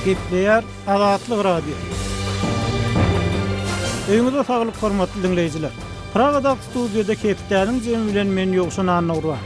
Gepleýär Azatlyk Radiosy. Öýüňize saglyk hormatly diňleýjiler. Pragadaky studiýada hepdäniň jemi bilen men Ýowşan Annagurban.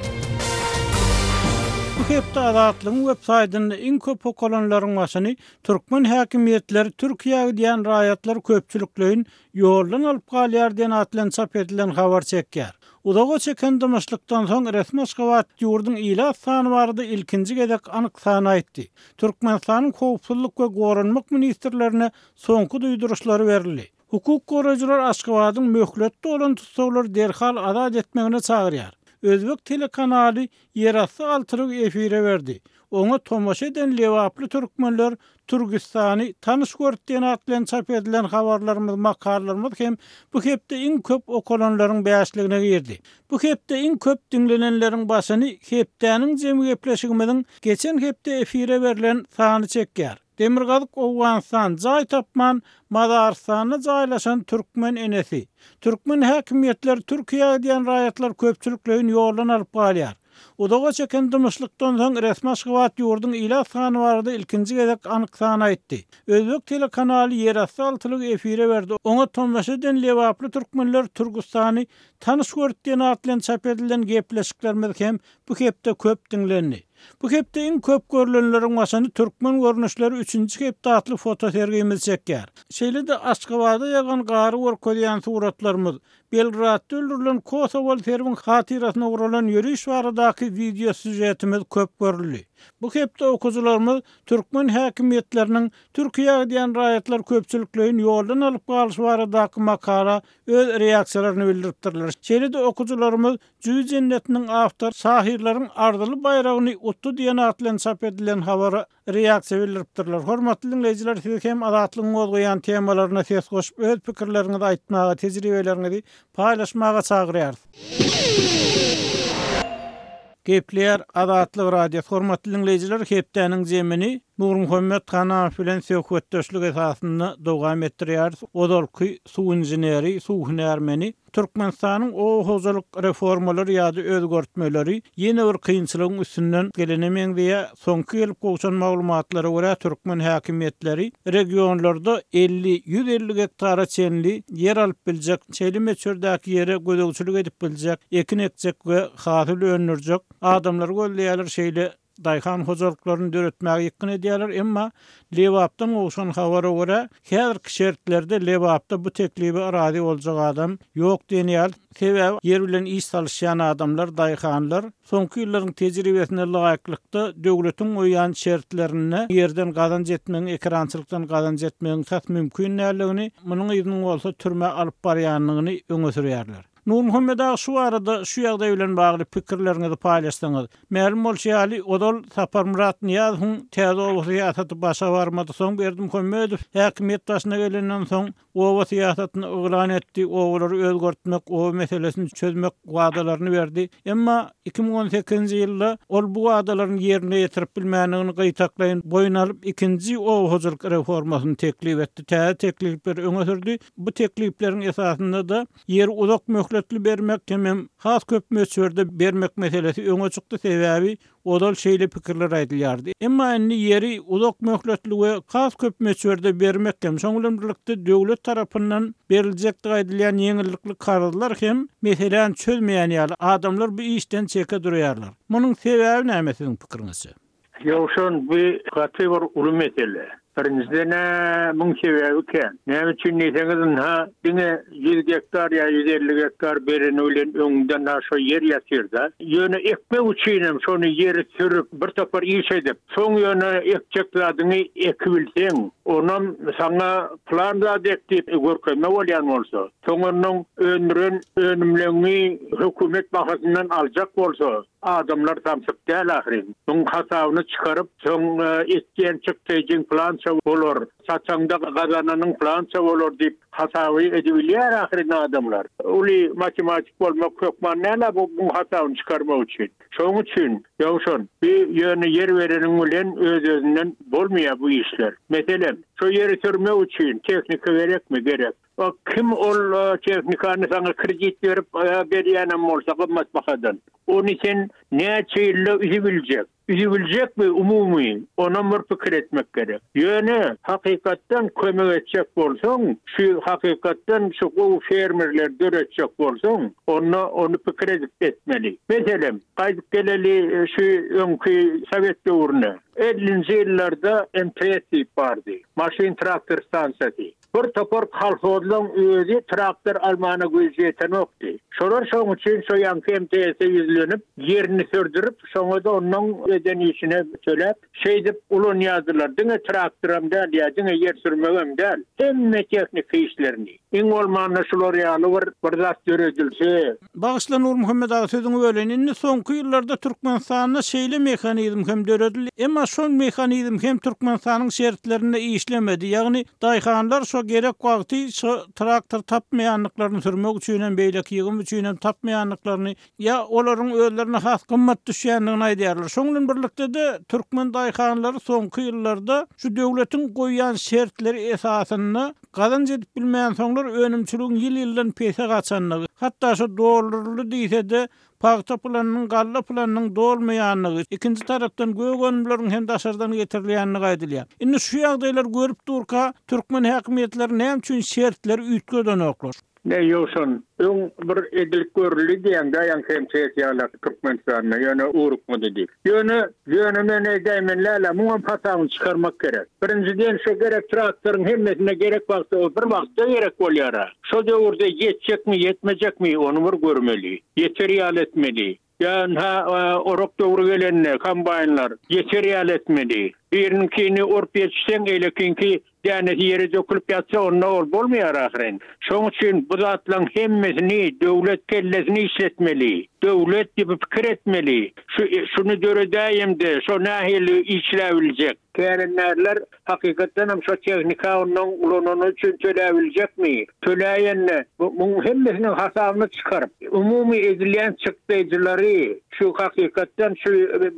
Bu hepde Azatlygyň web saýtynda iň köp okalanlaryň başyny türkmen häkimiýetleri Türkiýä gidýän raýatlary köpçülikleýin ýoldan alyp galýar diýen at bilen çap edilen habar çekýär. Uzaga çeken dymyşlykdan soň resmi Aşgabat ýurduň ilat sany barada ilkinji gezek anyk sany aýtdy. Türkmenistanyň Howpsuzlyk we Goranmak ministrlerine soňky duýduryşlary berildi. Hukuk goraýjylar Aşgabadyň möhleti dolan tussaglary derhal azat etmegine çagyrýar. Özbek telekanaly ýerasty altylygy efire berdi. Oňa tomaşa eden lebaply türkmenler Türgistany tanyş görüp diýen at bilen çap edilen habarlarymyz, makalalarymyz hem bu hepde iň köp okalanlaryň bäşligine girdi. Bu hepde iň köp diňlenenleriň başyny hepdäniň jemi gepleşigimiziň geçen hepde efire berlen sany çekýär. Demirgazyk Owganystan jaý tapman mazarystanda jaýlaşan türkmen enesi. Türkmen häkimiýetleri Türkiýä gidýän raýatlary köpçülikleýin ýoldan alyp galýar. Uzaga çeken dymyşlykdan soň resmi Aşgabat ýurduň ilat sany barada ilkinji gezek anyk sany aýtdy. Özbek telekanaly ýerasty altylygy efire berdi, oňa tomaşa eden lebaply türkmenler Türgüstany tanyş görüp diýen at bilen çap edilen gepleşiklerimiz hem bu hepde köp diňlendi. Bu hepde iň köp görlenleriň başyny Türkmen görnüşleri üçünji hepde atly fotosergimiz çekýär. Şeýle-de Aşgabada ýagan gary görkezýän suratlarymyz, Belgradda öldürilen kosowaly serbiň hatyrasyna guralan ýöriş baradaky wideo sýužetimiz köp görüldi. Bu hepde okyjylarymyz türkmen häkimiýetleriniň Türkiýä gidýän raýatlary köpçülikleýin ýoldan alyp galyşy baradaky makala öz reaksiýalaryny bildiripdirler. Şeýle-de okyjylarymyz Jüý jennetiniň awtory şahyrlaryň arzyly baýragyny utdy diýen at bilen çap edilen habara reaksiýa bildiripdirler. Hormatly diňleýjiler siz hem Azatlygyň gozgaýan temalaryna ses goşup öz pikirleriňizi aýtmaga, tejribeleriňizi paýlaşmaga çagyrýarys. Gepleýär Azatlyk Radiosy Hormatly diňleýjiler hepdäniň jemini Nurmuhammet Hanamow bilen söhbetdeşlik esasynda dowam etdirýäris. Ozalky suw inženeri, suw hünärmeni Türkmenistanyň oba hojalyk reformalary ýa-da özgertmeleri ýene bir kynçylygyň üstünden gelene meňzeýär. Soňky gelip gowşan maglumatlara görä, türkmen häkimiýetleri regionlarda 50, 150 gektara çenli ýer alyp biljek, şeýle möçberdäki ýere gözegçilik edip biljek, ekin ekjek we hasyl öndürjek adamlary gözleýärler, şeýle daýhan hojalyklaryny döretmäge ýykgyn edýärler, emma Lebapdan gowşan habara görä, häzirki şertlerde Lebapda bu teklibe razy boljak adam ýok diýen ýaly, sebäbi ýer bilen iş salyşýan adamlar, daýhanlar soňky ýyllaryň tejribesine laýyklykda döwletiň goýýan şertlerinde ýerden gazanç etmegiň, ekerançylykdan gazanç etmegiň tas mümkin däldigini, munuň yzynyň bolsa türmä alyp barýandygyny öňe sürýärler. Nurmuhammet aga şu barada şu ýagdaý bilen bagly pikirleriňizi paýlaşsaňyz. Mälim bolşy ýaly, ozal Saparmyrat Nyýazowyň täze oba syýasaty başa barmady, soň Berdimuhamedow häkimiýet başyna gelenden soň oba syýasatyny yglan etdi, obalary özgertmek, oba meselesini çözmek wadalaryny berdi. Emma 2018-nji ýylda ol bu wadalaryny ýerine ýetirip bilmändigini gytaklaýyn boýun alyp, ikinji oba hojalyk reformasyny teklip etdi, täze teklipleri öňe sürdi. Bu teklipleriň esasynda-da Ýeri uzak möhletli bermek hemem has köp möçberde bermek meselesi öňe çykdy, sebäbi ozal şeýle pikirler aýdylýardy. Emma indi ýeri uzak möhletli we has köp möçberde bermek hem, şonuň bilen birlikde döwlet tarapyndan beriljekdigi aýdylýan ýeňillikli karzlar hem meseläni çözmeýän ýaly, adamlar bu işden çeke durýarlar. Munuň sebäbi näme siziň pikiriňizçe? Ýowşan, bu gaty bir uly mesele. Birinjiden-ä, muň sebäbi kän. Näme üçin diýseňiz, ynha, diňe 100 gektar ýa 150 gektar bereni bilen öňüňde-ynha şo ýer ýatyr-da. Ýöne ekmek üçinem şony ýeri sürüp, bir topar iş edip, soň ýöne ekjek zadyňy ekibilseň, onam saňa pylan zat ek diýip görkezme bolýan bolsa, soň onnoň öndüren önümleňi hökümet bahasyndan aljak bolsa, Adamlar samsyk däl ahyryn. Muň hasabyny çykaryp, soň etýän çykdajyň pylança bolar, sataňda gazananyň pylança bolar diýip hasaby edibilýär ahyryn adamlar. Uly matematik bolmak hökman däl-ä bu muň hasabyny çykarmak üçin. Şoň üçin, Ýowşan, bi ýöne ýer bereniň bilen öz-özünden bolmaýar bu işler. Meselem, şo ýeri sürmek üçin tehnika gerekmi? Gerek. Kim ol tehnikany saňa kredit berip berýänem bolsa gymmat bahadan, ony sen näçe ýylda üzübiljek? Üzübiljekmi umumy, onam bir pikir etmek gerek. Ýöne hakykatdan kömek etjek bolsaň, şu hakykatdan şu gowy fermerleri döretjek bolsaň, onda ony pikir edip etmeli. Meselem, gaýdyp geleli şu öňki sowet döwrüne. Ellinji ýyllarda MTS diýip bardy. Maşyn-traktor stansiýasy. Bir topar kolhozlaň özi traktor almana güýji ýetenokdy. Şolar şoň üçin şo ýaňky MTS-e ýüzlenip, ýerini sürdürip, şoňa-da onnoň eden işine töläp, şeýdip ulanýardylar. Diňe traktoram däl ýa diňe ýer sürmegem däl, hemme tehniki işlerini. Iň bolmanda şular ýaly bir bir zat döredilse. Bagyşla Nurmuhammet aga sözüňi böleýin. Indi soňky ýyllarda Türkmenistanda şeýle mehanizm hem döredildi. Emma şol mehanizm hem Türkmenistanyň şertlerinde işlemedi. Ýagny daýhanlar şo gerek wagty şo traktor tapmaýandyklaryny sürmek üçin hem beýleki ýygym üçin hem tapmaýandyklaryny ýa olaryň özlerine has gymmat düşýändigini aýdýarlar. Şoň bilen birlikde-de türkmen daýhanlary soňky ýyllarda şu döwletiň goýýan şertleri esasynda Gazanç edip bilmänsoňlar önümçiligiň ýyl-ýyldan pese gaçandygy, hatda şo dolduryldy diýse-de, pagta planynyň, galla planynyň dolmaýandygy, ikinji tarapdan gök önümleriň hem daşardan getirilýändigi aýdylýar. Indi şu ýagdaýlary görüp durka, türkmen häkimiýetleri näme üçin şertleri üýtgedenoklar? Ne Ýowşan, öň bir edilip görüldi diýýäň-dä ýaňky MTS ýalak Türkmenistanda, ýöne ugrukmady diýip. Ýöne, ýöne men eýdäýmen läle, muňam hasabyny çykarmak gerek. Birinjiden şo gerek traktoryň hemmesine gerek wagtda o bir wagtda gerek bolýar-a. Şo döwürde ýetjekmi, ýetmejekmi, ony bir görmeli. Ýeter ýaly etmeli. Ýa ynha, orak döwri gelende kombaýnlar ýeter ýaly etmeli. Biriniňkini orup ýetişseň, eýlekiňki dänesi ýere dökülip ýatsa, onda ol bolmaýar ahyryn. Şoň üçin bu zatlaryň hemmesini döwlet kellesini işletmeli. Döwlet diýip pikir etmeli. Şu şuny döredäýemde, şo nähili işläbiljek? Kärendärler hakykatdanam şo tehnika ondan ulanany üçin töläbiljekmi? Töläýende, bu muň hemmesiniň hasabyny çykaryp, umumy edilýän çykdaýjylary şu hakykatdan şu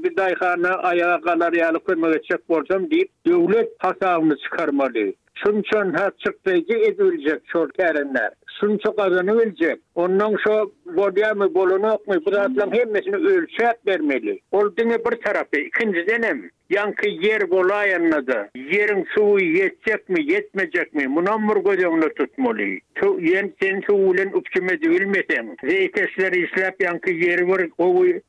bir daýhana aýaga galar ýaly kömek etjek bolsam diýip, döwlet hasabyny çykarmaly. Şunça-ha çykdaýjy edibiljek şol kärendär. Şunça gazanybiljek. Onnoň şo bolýamy, bolanokmy, bu zatlaryň hemmesini ölçäp bermeli. Ol diňe bir tarapy. Ikinjidenem, Ýaňky ýer bolaýanda-da, ýeriň suwy ýetjekmi, ýetmejekmi, munam bir göz öňünde tutmaly. Suw, ýen, sen suw bilen üpjüm edibilmeseň, zeýkeşler işläp ýaňky ýeri bir gowy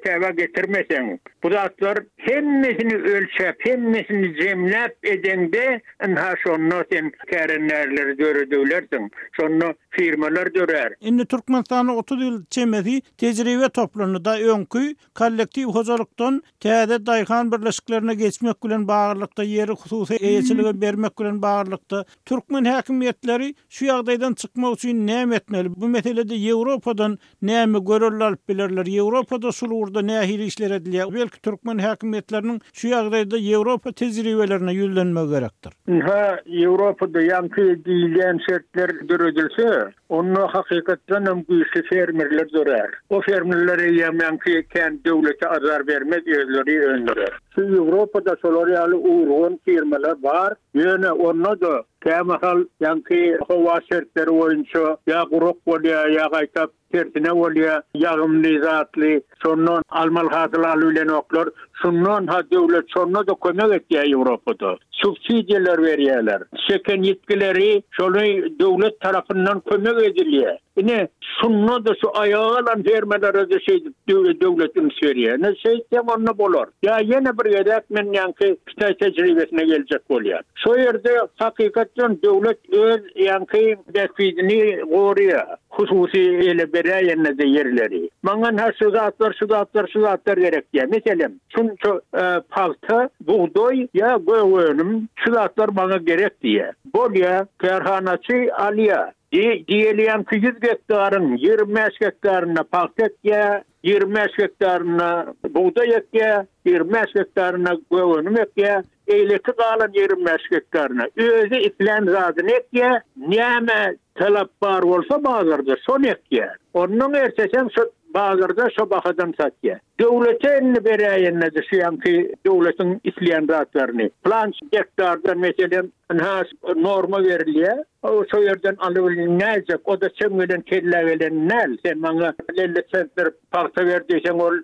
täbä getirmeseň, bu zatlar hemmesini ölçäp, hemmesini jemläp edeňde, ynha şonda sen kärendärleri döredebilersiň. Şonda firmalar dörär. Indi Türkmenistanda 30 ýyl çemesi tejribe toplandy-da, öňki Kollektiw hojalykdan täze daýhan birleşiklerine geçmek bilen baglylykda ýeri hususy eýeçilige bermek bilen baglylykda türkmen häkimiýetleri şu ýagdaýdan çykmak üçin näme etmeli? Bu meselede Ýewropadan näme görelde alyp bilerler? Ýewropada şul ugurda nähili işler edilýär? Belki türkmen häkimiýetleriniň şu ýagdaýda Ýewropa tejribelerine ýüzlenmegi gerekdir? Ynha, Ýewropada ýaňky diýilýän şertler döredilse, Onda hakykatdanam güýçli fermerler dörär. O fermerler eýýäm ýaňky kän döwlete azar bermez, özleri öndürer. Şu Ýewropada şolar ýaly urgan firmalar bar, ýöne onda-da kämahal ýaňky howa şertleri boýunça ýa gurak bolýar, ýa gaýtap tersine bolýar, ýagymly zatly, şondan almaly hasyly alybilenoklar. Şundan-ha döwlet şonda-da kömek etýär Ýewropada. Subsidiýalar berýärler. Çeken ýitgileri şony döwlet tarapyndan kömek edilýär. Ine, şunda-da şu aýaga galan fermerlere-de şeýdip döwlet üns berýär. Ine, şeýtseň onda bolar. Ýa ýene bir gezek men ýaňky hytaý tejribesine geljek bolýan. Şo ýerde hakykatdan döwlet öz ýaňky bähbidini goraýar. Hususy ele beräýende-de ýerleri. Maňa-ha şu zatlar, şu zatlar, şu zatlar gerek diýýär. Meselem, şunça pagta, bugdaý ýa gök önüm, şu zatlar maňa gerek diýýär. Bolýar, kärhanaçy alýar. Diýeli ýaňky 100 gektaryň 25 gektarynda pagta ekýär, 25 gektarynda bugdaý ekýär, 25 gektarynda gök önüm ekýär. Beýleki galan 25 gektaryna özi islän zadyny ekýär, näme talap bar bolsa bazarda şony ekýär. Onnoň ertesem şo bazarda şo bahadan satýar. Döwlete indi beräýende-de şu ýaňky döwletiň isleýän zatlaryny. Pylança gektardan meselem. Ynha, norma berilýär. Şo ýerden alybilinäýjek. O-da çem gelen kellä gelen däl. Sen maňa 50 sentner pagta ber diýseň, ol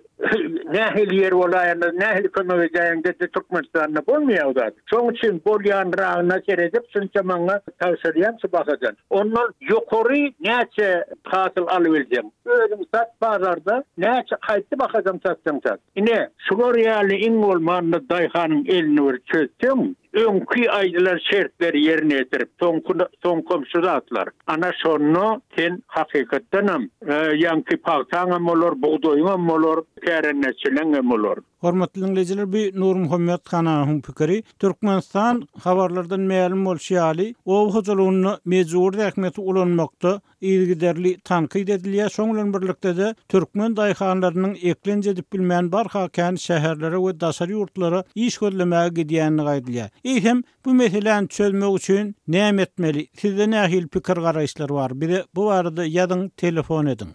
nähili ýer bolaýanda, nähili kömek edäýeňde-de Türkmenistanda bolmaýar o zat. Şoň üçin bolýanragyna seredip, şunça maňa tabşyrýaň şu bahadan. Ondan ýokary näçe hasyl alybilseň, özüň sat bazarda, näçe haýsy bahadan satsaň sat. Ine, şular ýaly iň bolmanda daýhanyň elini bir çözseň, öňki aýdylan şertleri ýerine ýetirip, soňky soňkam şu zatlar. Ana şonda sen hakykatdanam ýaňky pagtaňam bolar, bugdaýyňam bolar, kärendeçileňem bolar. Hormatly diňleýjiler bu Nurmuhammet Hananowyň pikiri. Türkmenistan habarlardan mälim bolşy ýaly, oba hojalygynda mejbury zähmeti ulanmakda yzygiderli tankyt edilýär, şoň bilen birlikde-de türkmen daýhanlarynyň eklenç edip bilmän barha kän şäherlere we daşary ýurtlara iş gözlemäge gidýändigi aýdylýar. Eýsem, bu meseläni çözmek üçin näme etmeli? Sizde nähili pikir-garaýyşlar bar? Bize bu barada ýazyň, telefon ediň.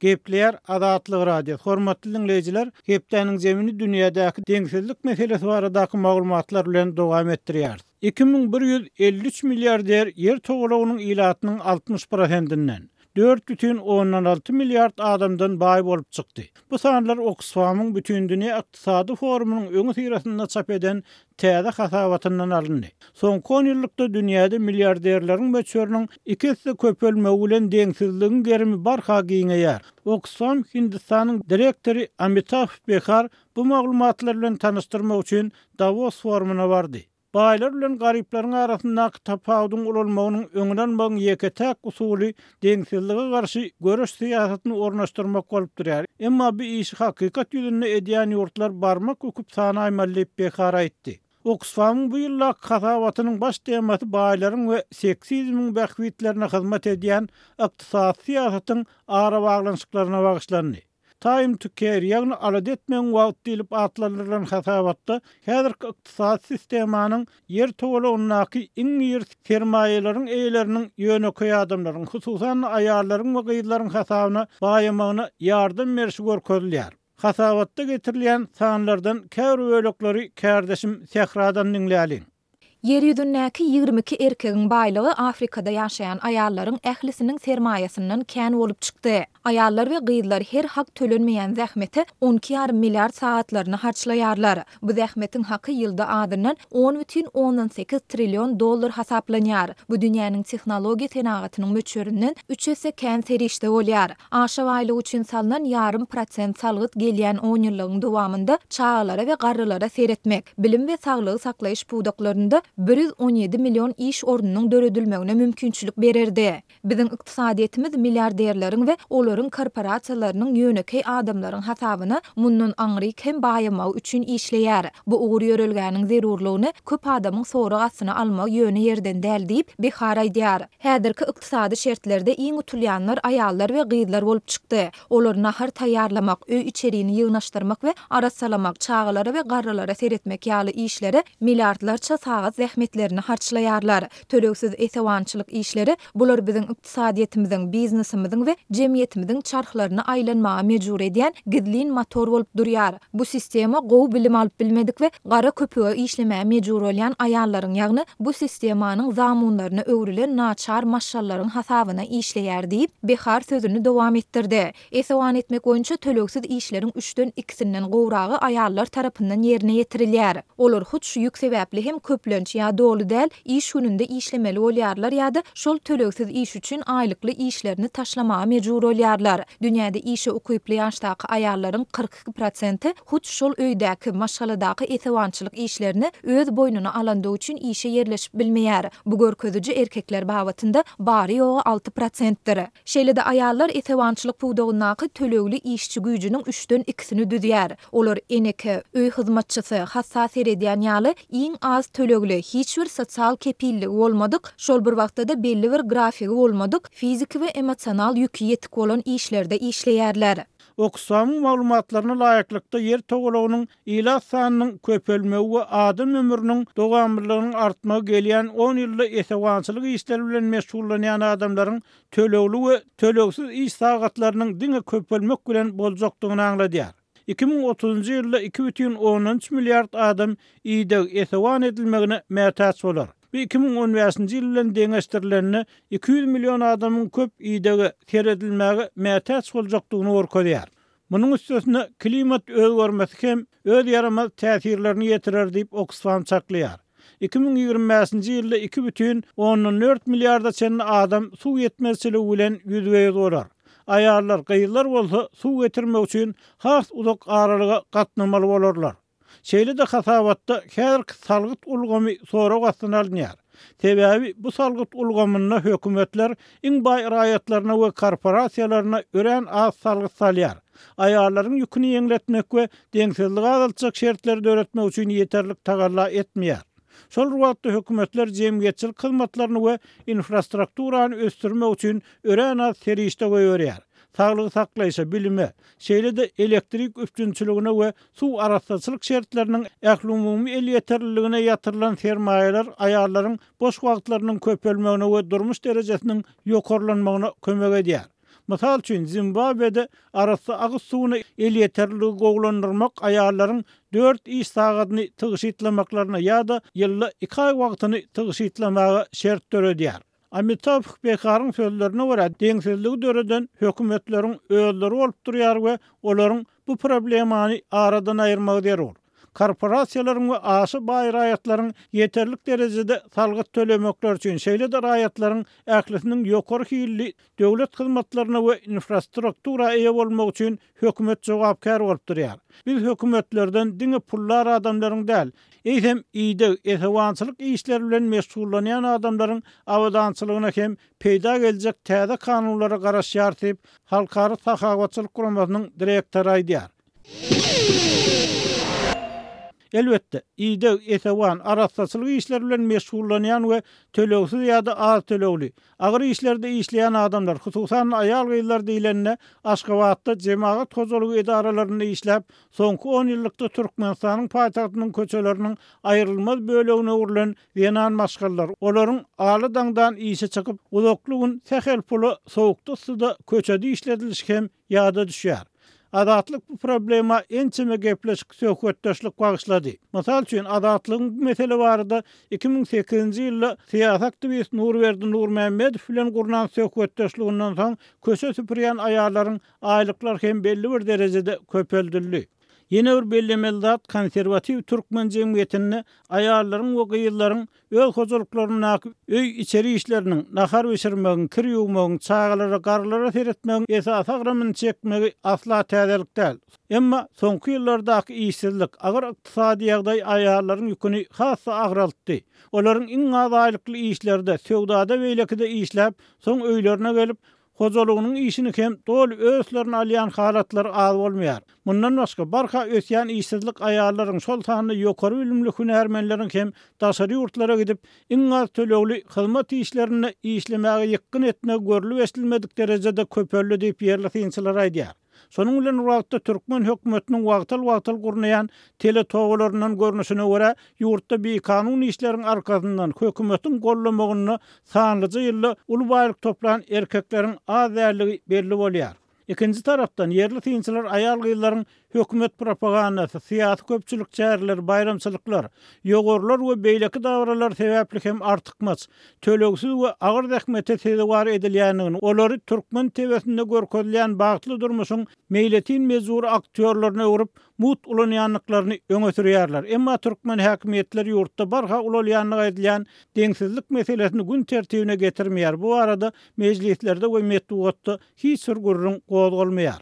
Gepleýär Azatlyk Radiosy. Hormatly diňleýjiler, hepdäniň jemini dünýädäki deňsizlik meselesi baradaky maglumatlar bilen dowam etdirýäris. 2153 milliarder Ýer togalagynyň ilatynyň 60 prosentinden, 4,6 milliard adamdan baý bolup çykdy. Bu sanlar Oksfamyň Bütindünýä ykdysady forumynyň öňüsyrasynda çap eden täze hasabatyndan alyndy. Soňky onýyllykda dünýäde milliarderleriň möçberiniň iki esse köpelmegi bilen deňsizligiň gerimi barha giňeýär. Oksfam Hindistanyň direktory Amitabh Behar bu maglumatlar bilen tanyşdyrmak üçin Dawos forumyna bardy. Baýlar bilen garyplaryň arasyndaky tapawudyň ulalmagynyň öňüni almagyň ýeke-täk usuly deňsizlige garşy göreş syýasatyny ornaşdyrmak bolup durýar. Emma bu işi hakykat ýüzünde edýän ýurtlar barmak büküp sanaýmaly diýip, Behar aýtdy. Oksfamyň bu ýyldaky hasabatynyň baş temasy baýlaryň we seksizmiň bähbitlerine hyzmat edýän ykdysady syýasatyň arabaglanyşyklaryna bagyşlandy. Time to care, ýagny alada etmegiň wagty diýlip atlandyrylan hasabatda häzirki ykdysady sistemanyň Ýer togalagyndaky iň iri sermaýalaryň eýeleriniň ýönekeý adamlaryň, hususan-da, aýallaryň we gyzlaryň hasabyna baýamagyna ýardam berşi görkezilýär. Hasabatda getirilýän sanlardan käbir bölekleri kärdeşim Sähradan diňläliň. Ýer ýüzündäki 22 erkegiň baýlygy Afrikada ýaşaýan aýallaryň ählisiniň sermaýasyndan kän bolup çykdy. Aýallar we gyzlar her hak tölenmeýän zähmete on iki ýarym milliard sagatlaryny harçlaýarlar. Bu zähmetiň haky ýylda azyndan on bütin ondan sekiz trillion dollar hasaplanýar. Bu dünýäniň tehnologiýa senagatynyň möçberinden üç esse kän serişde bolýar. Aşa baýlyk üçin salnan ýarym prosent salgyt gelýän onýyllygyň dowamynda çagalara we garrylara seretmek, bilim we saglygy saklaýyş pudaklarynda 117 million iş ornunyň döredilmegine mümkinçilik bererdi. Biziň ykdysadyýetimiz milliarderleriň we olaryň korporasiýalarynyň ýönekeý adamlaryň hasabyna mundan aňryk hem baýamagy üçin işleýär. Bu ugur-ýörelgäniň zerurlygyny köp adamyň sorag astyna almagy ýöne ýerden däl diýip, Behar aýdýar. Häzirki ykdysady şertlerde iň utulýanlar aýallar we gyzlar bolup çykdy. Olar nahar taýýarlamak, öý-içerini ýygnaşdyrmak we arassalamak, çagalara we garrylara seretmek ýaly işlere milliardlarça sagat zähmetlerini harçlaýarlar. Tölegsiz esewançylyk işleri, bular biziň ykdysadyýetimiziň, biznesimiziň we jemgyýetimiziň çarhlaryny aýlanmaga mejbur edýän gizlin motor bolup durýar. Bu sistema gowy bilim alyp bilmedik we gara köpüge işlemäge mejbur bolýan aýallaryň, ýagny bu sistemanyň zamunlaryna öwrülen naçar maşgallaryň hasabyna işleýär diýip, Behar sözüni dowam etdirdi. Esewan etmek boýunça tölegsiz işleriň üçden ikisinden gowragy aýallar tarapyndan ýerine ýetirilýär. Olar hut şu ýük sebäpli hem köplenç ýa doly däl iş gününde işlemeli bolýarlar ýa-da şol tölegsiz iş üçin aýlykly işlerini taşlamaga mejbur bolýarlar. Dünýäde işe ukyply ýaşdaky aýallaryň 42 prosenti hut şol öýdäki, maşgaladaky esewançylyk işlerini öz boýnuna alandygy üçin işe ýerleşip bilmeýär. Bu görkeziji erkekler babatynda bary-ýogy alty prosentdir. Şeýle-de aýallar esewançylyk pudagyndaky tölegli işçi güýjüniň üçden ikisini düzýär. Olar eneke, öý hyzmatçysy, hassa seredýän ýaly iň az tölegli, hiç bir sosial kepilligi bolmadyk, şol bir wagtda-da belli bir grafigi bolmadyk, fiziki we emosional ýüki ýetik bolan işlerde işleýärler. Oksfamyň maglumatlaryna laýyklykda, Ýer togalagynyň ilat sanynyň köpelmegi we adam ömrüniň dowamlylygynyň artmagy gelýän on ýylda esewançylyk işleri bilen meşgullanýan adamlaryň tölegli we tölegsiz iş sagatlarynyň diňe köpelmek bilen boljakdygyny aňladýar. 2030-njy ýylda 2,3 milliard adam ideg, esewan edilmegine mätäç bolar. Bu 2015-nji ýyl bilen deňeşdirilende 200 million adamyň köp idege, seredilmäge mätäç boljakdygyny görkezýär. Munuň üstesine, klimat özgermesi hem öz ýaramaz täsirlerini ýetirer diýip, Oksfam çaklaýar. 2025-nji ýylda 2,4 milliarda çenli adam suw ýetmezçiligi bilen ýüzbe-ýüz bolar. Aýallar, gyzlar bolsa suw getirmek üçin has uzak aralyga gatnamaly bolarlar. Şeýle-de hasabatda häzirki salgyt ulgamy sorag astyna alynýar. Sebäbi bu salgyt ulgamynda hökümetler iň baý raýatlaryna we korporasiýalaryna örän az salgyt salýar. Aýallaryň ýüküni ýeňletmek we deňsizligi azaltjak şertleri döretmek üçin ýeterlik tagalla etmeýär. Şol bir wagtda hökümetler jemgyýetçilik hyzmatlaryny we infrastrukturany ösdürmek üçin örän az serişde goýberýär. Saglygy saklaýşa, bilime, şeýle-de elektrik üpjünçiligine we suw arassaçylyk şertleriniň ählumumy elýeterliligine ýatyrylan sermaýalar aýallaryň boş wagtlarynyň köpelmegine we durmuş derejesiniň ýokarlanmagyna kömek edýär. Mysal üçin, Zimbabwede arassa agyz suwuna elýeterliligi gowulandyrmak aýallaryň dört iş sagadyny tygşytlamaklaryna ýa-da ýylda iki aý wagtyny tygşytlamaga şert döredýär. Amitabh Bekaryň sözlerine görä, deňsizligi döreden hökümetleriň özleri bolup durýar we olaryň bu problemany aradan aýyrmagy zerur. Korporasiýalaryň we aşa baý raýatlaryň ýeterlik derejede salgyt tölemekleri üçin, şeýle-de raýatlaryň ählisiniň ýokary hilli döwlet hyzmatlaryna we infrastruktura eýe bolmagy üçin hökümet jogapkär bolup durýar. Biz hökümetlerden diňe puldar adamlaryň däl, eýsem, ideg, esewançylyk işleri bilen meşgullanýan adamlaryň abadançylygyna hem peýda geljek täze kanunlara garaşýarys diýip, Halkara sahawatçylyk guramasynyň direktory aýdýar. Elbetde, ideg, esewan, arassaçylyk işleri bilen meşgullanýan we tölegsiz ýa-da az tölegli, agyr işlerde işleýän adamlar, hususan-da aýal-gyzlar diýlende, Aşgabatda jemagat hojalygy edaralarynda işläp, soňky onýyllykda Türkmenistanyň paýtagtynyň köçeleriniň aýrylmaz bölegine öwrülen zenan maşgalalar, olaryň ala-daňdan işe çykyp, uzakly gün sähel pula sowukda-yssyda köçede işledilişi hem ýada düşýär. Azatlyk bu problema ençeme gepleşik, söhbetdeşlik bagyşlady. Mysal üçin, Azatlygyň bu mesele barada 2008-nji ýylda syýasy aktiwist Nurberdi Nurmämmedow bilen gurnan söhbetdeşliginden soň köçe süpürýän aýallaryň aýlyklary hem belli bir derejede köpeldildi. Ýene bir bellemeli zat, konserwatiw türkmen jemgyýetinde aýallaryň we gyzlaryň öz hojalyklaryndaky öý-içeri işleriniň, nahar bişirmegiň, kir ýuwmagyň, çagalara, garrylara seretmegiň esasy agramyny çekmegi asla täzelik däl. Emma soňky ýyllardaky işsizlik, agyr ykdysady ýagdaý aýallaryň ýüküni has-da agraltdy. Olaryň iň az aýlykly işlerde, söwdada-beýlekide işläp, soň öýlerine gelip, Hojalygynyň işini hem doly öz üstlerine alýan halatlary az bolmaýar. Mundan başga, barha ösýän işsizlik aýallaryň, şol sanda ýokary bilimli hünärmenleriň hem daşary ýurtlara gidip, iň az tölegli hyzmat işlerinde işlemäge ýykgyn etmegi görlüp-eşidilmedik derejede köpeldi diýip, ýerli synçylar aýdýar. Şonuň bilen bir wagtda türkmen hökümetiniň wagtal-wagtal gurnaýan teletobalaryndan görnüşine görä, ýurtda bikanun işleriň arkasyndan hökümetiň gollamagynda sanlyja ýylda uly baýlyk toplan erkekleriň az däldigi belli bolýar. Ikinji tarapdan, ýerli synçylar aýal-gyzlaryň hökümet propagandasy, syýasy-köpçülik çäreleri, baýramçylyklar, ýowarlar we beýleki dabaralar sebäpli hem artykmaç, tölegsiz we agyr zähmete sezewar edilýändigini, olary türkmen TW-sinde görkezilýän bagtly durmuşyň meýletin-mejbury aktýorlaryna öwrüp, mugt ulanýandyklaryny öňe sürýärler. Emma türkmen häkimiýetleri ýurtda barha ulalýandygy aýdylýan deňsizlik meselesini gün tertibine getirmeýär, bu barada mejlislerde we metbugatda hiç bir gürrüň gozgalmaýar.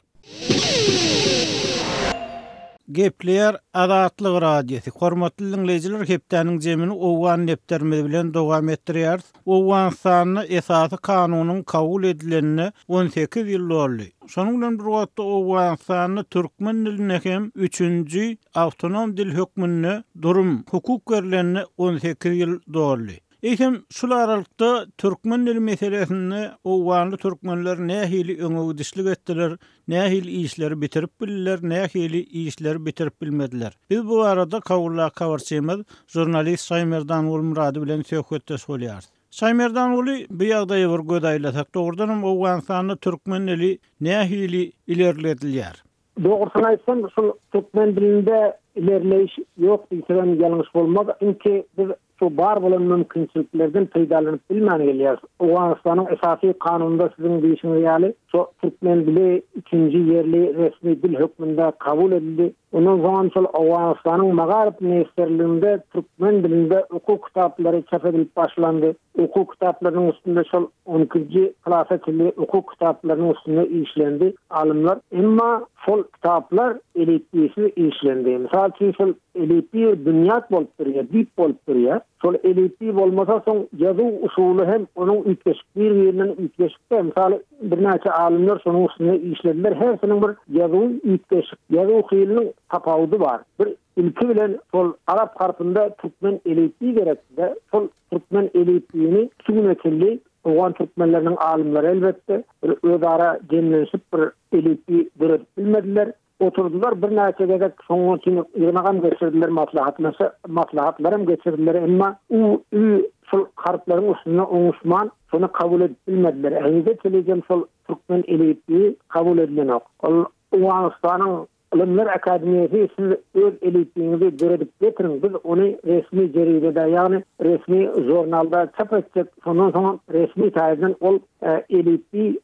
Gepleýär Azatlyk Radiosy. Hormatly diňleýjiler, hepdäniň jemini owgan depderimiz bilen dowam etdirýäris. Owganystanda esasy kanunyň kabul edilenine 18 ýyl doldy. Şonuň bilen bir wagtda Owganystanda türkmen diline hem üçünji awtonom dil hökmünde durum, hukuk berlenine 18 ýyl doldy. Eýsem, şul aralykda türkmen dili meselesinde owganly türkmenler nähili öňe gidişlik etdiler, nähili işleri bitirip bildiler, nähili işleri bitirip bilmediler? Biz bu barada Kabuldaky habarçymyz, žurnalist Şaýmerdan Gulmyrady bilen söhbetdeş bolýarys. Şaýmerdanguly, bu ýagdaýa bir göz aýlasak, dogrudanam Owganystanda türkmen dili nähili ilerledilýär? Dogrusyny aýtsam, şul türkmen dilinde ilerleýiş ýok diýsegem ýalňyş bolmaz. Çünki biz şu bar bolan mümkinçiliklerden peýdalanyp bilmän gelýäris. Owganystanyň esasy kanunynda siziň diýşiňiz ýaly, şu türkmen dili üçünji ýerli resmi dil hökmünde kabul edildi. Ondan soňam şol Owganystanyň Magaryf ministrliginde türkmen dilinde okuw kitaplary çap edilip başlandy. Okuw kitaplarynyň üstünde şol on ikinji klasa çenli okuw kitaplarynyň üstünde işlendi alymlar. Emma şol kitaplar elipbiýsiz işlendi. Mysal üçin şol elipbiý binýat bolup durýar, düýp bolup durýar. Şol elipbiý bolmasa soň ýazuw usuly hem onuň üýtgeşik bir-birinden üýtgeşikde. Mysal birnäçe alymlar şonuň üstünde işlediler. Hersiniň bir ýazuwy üýtgeşik, ýazuw hiliniň tapawudy bar. Bir ilki bilen şol arap harpynda türkmen elipbiý gerekdi-de, şol Türkmen elipbiýini şu güne çenli owgan türkmenleriniň alymlary elbetde bir özara jemlenişip bir elipbiý döredip bilmediler. Oturdylar birnäçe gezek şonuň üçin ýygnagam geçirdiler maslahatlaşa maslahatlaram geçirdiler emma u, ü şol harplaryň üstünde oňuşman şony kabul edip bilmediler. Henize çenlijem şol türkmen elipbiýi kabul edilenok. Ol Owganystanyň Ylymlar akademiýasy siz öz elipbiýiňizi döredip getiriň, biz ony resmi jeridede, ýagny resmi žurnalda çap etjek, şondan soňam resmi taýdan ol elipbiý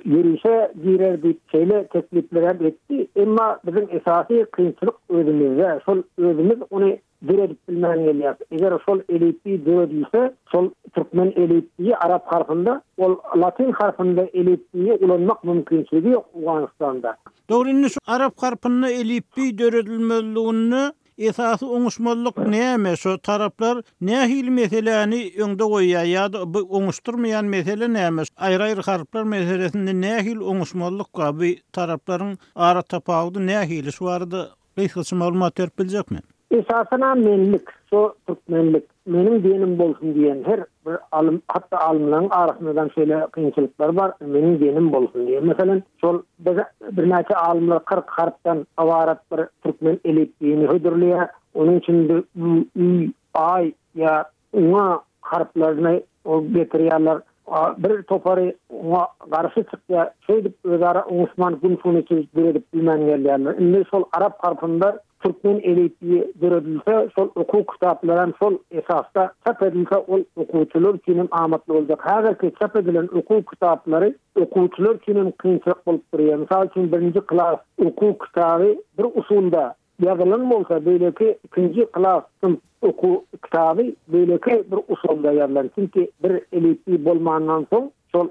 ýörişe girer diýip şeýle tekliplerem etdi. Emma biziň esasy kynçylyk özümizde, şol özümiz ony döredip bilmän gelýäris. Eger şol elipbiý döredilse, şol türkmen elipbiýi arap harpynda, ol latyn harpynda elipbiýi ulanmak mümkinçiligi ýok Owganystanda. Dogry indi şu arap harpynda elipbiý döredilmezliginde esasy oňuşmazlyk näme? Şu taraplar nähili meseläni öňde goýýar ýa-da bu oňuşdyrmaýan mesele näme? Aýry-aýry harplar meselesinde nähili oňuşmazlyk bar? Bu taraplaryň ara tapawudy nähili? Şu barada Gysgaça maglumat berip biljekmi? Esasanam menlik, şo türkmenlik, meniň diýenim bolsun diýen her bir alym, hatda alymlaryň arasyndadam şeýle kynçylyklar bar, meniň diýenim bolsun diýen. Meselem, şol biz birnäçe alymlar 40 harpdan ybarat bir türkmen elipbiýini hödürleýär. Onuň içinde ü, ü, aý ýa Oňa harplaryny getirýärler. Bir topary oňa garşy çykýar. Şeýdip özara oňuşman gün suny döredip bilmän gelýärler. Indi şol arap harpynda türkmen elipbiýi döredilse, şol okuw kitaplaram şol esasda çap edilse ol okuwçylar üçin hem amatly boljak. Häzirki çap edilen okuw kitaplary okuwçylar üçin hem kynçylyk bolup durýar. Mysal üçin birinji klas okuw kitaby bir usulda Ýazylan bolsa beýleki ikinji klas synp okuw kitaby beýleki bir usulda ýazylan. Çünki bir elipbiý bolmandan soň şol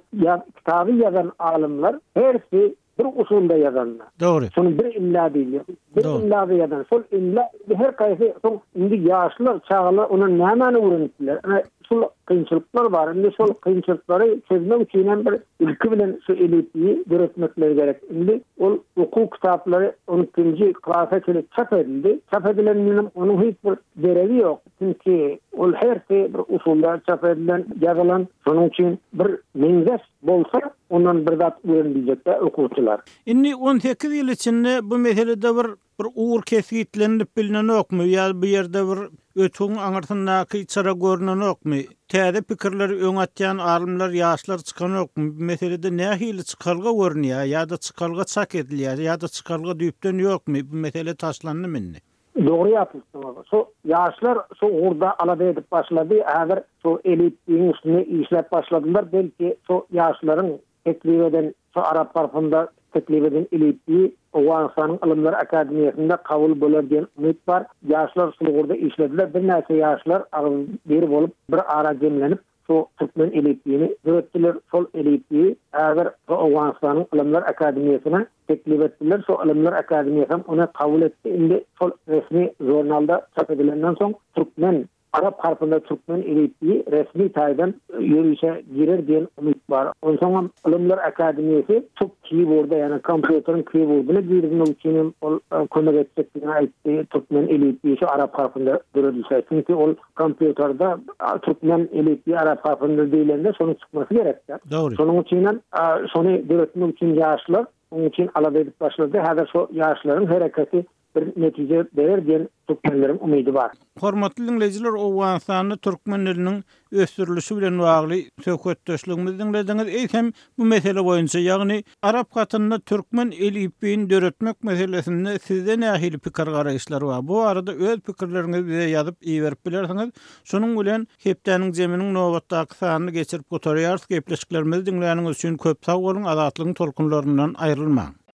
kitaby ýazan alymlar hersi bir usulda ýazanlar. Dogry. Şony bir imla diýilýär. Bir imlada ýazan. Şol imla her haýsy soň indi ýaşlar, çagalar ondan nämäni öwrenip biler? Ine şul kynçylyklar bar. Indi şol kynçylyklary çözmek üçin hem bir ilki bilen şu elipbiýi döretmekleri gerek. Indi ol okuw kitaplary on ikinji klasa çenli çap edildi. Çap edilendenem onuň hiç bir deregi ýok. Çünki ol hersi bir usulda çap edilen, ýazylan. Şonuň üçin bir meňzeş bolsa, ondan bir zat öwrenibiljek-dä okuwçylar. Indi 18 ýyl içinde bu meselede bir Bir ugur kesgitlenilip bilnenokmy ýa bu ýerde bir ötügiň aňyrsyndaky çyra görnenokmy? Täze pikirleri öňe atýan alymlar, ýaşlar çykanokmy? Bu meselede nähili çykalga görünýär ýa-da çykalga çak edilýär ýa-da çykalga düýpden ýokmy? Bu mesele taşlandymy indi? Dogry ýatypsyňyz. Şu ýaşlar şu ugurda alada edip başlady. Häzir şu elipbiýiň üstünde işläp başladylar. Belki şu ýaşlaryň Teklip eden şu arap harpynda teklip eden elipbiý Owganystanyň Ylymlar akademiýasynda kabul bolar diýen umyt bar. Ýaşlar şul ugurda işlediler. Birnäçe ýaşlar agzybir bolup bir ara jemlenip şu türkmen elipbiýini döretdiler. Şol elipbiýi häzir şu Owganystanyň Ylymlar akademiýasyna teklip etdiler. Şu Ylymlar akademiýasam ony kabul etdi. Indi şol resmi žurnalda çap edilenden soň türkmen Arap harpynda türkmen elipbiýi resmi taýdan ýörişe girer diýen umyt bar. Onsoňam Ylymlar akademiýasy tut keyboarda, ýagny kompýuteriň keyboardyna girizmek üçin hem ol kömek etjekdigini aýtdy, türkmen elipbiýi şu arap harpynda döredilse. Çünki ol kompýuterde türkmen elipbiýi arap harpynda diýlende şonuň çykmasy gerekdi. Dogry. Şonuň üçinem şony döretmek üçin ýaşlar onuň üçin alada edip başlady. Häzir şo ýaşlaryň hereketi. bir netije berer diýen türkmenleriň umydy bar. Hormatly diňleýjiler Owganystanda türkmen diliniň ösdürilişi bilen bagly söhbetdeşligimizi diňlediňiz. Eýsem bu mesele boýunça, ýagny arap hatynda türkmen elipbiýini döretmek meselesinde sizde nähili pikir-garaýyşlar bar? Bu barada öz pikirleriňizi bize ýazyp iberip bilersiňiz. Şunuň bilen hepdäniň jeminiň nobatdaky sanyny geçirip gutarýarys. Gepleşiklerimizi diňläniňiz üçin köp sag boluň, Azatlygyň tolkunlaryndan aýrylmaň!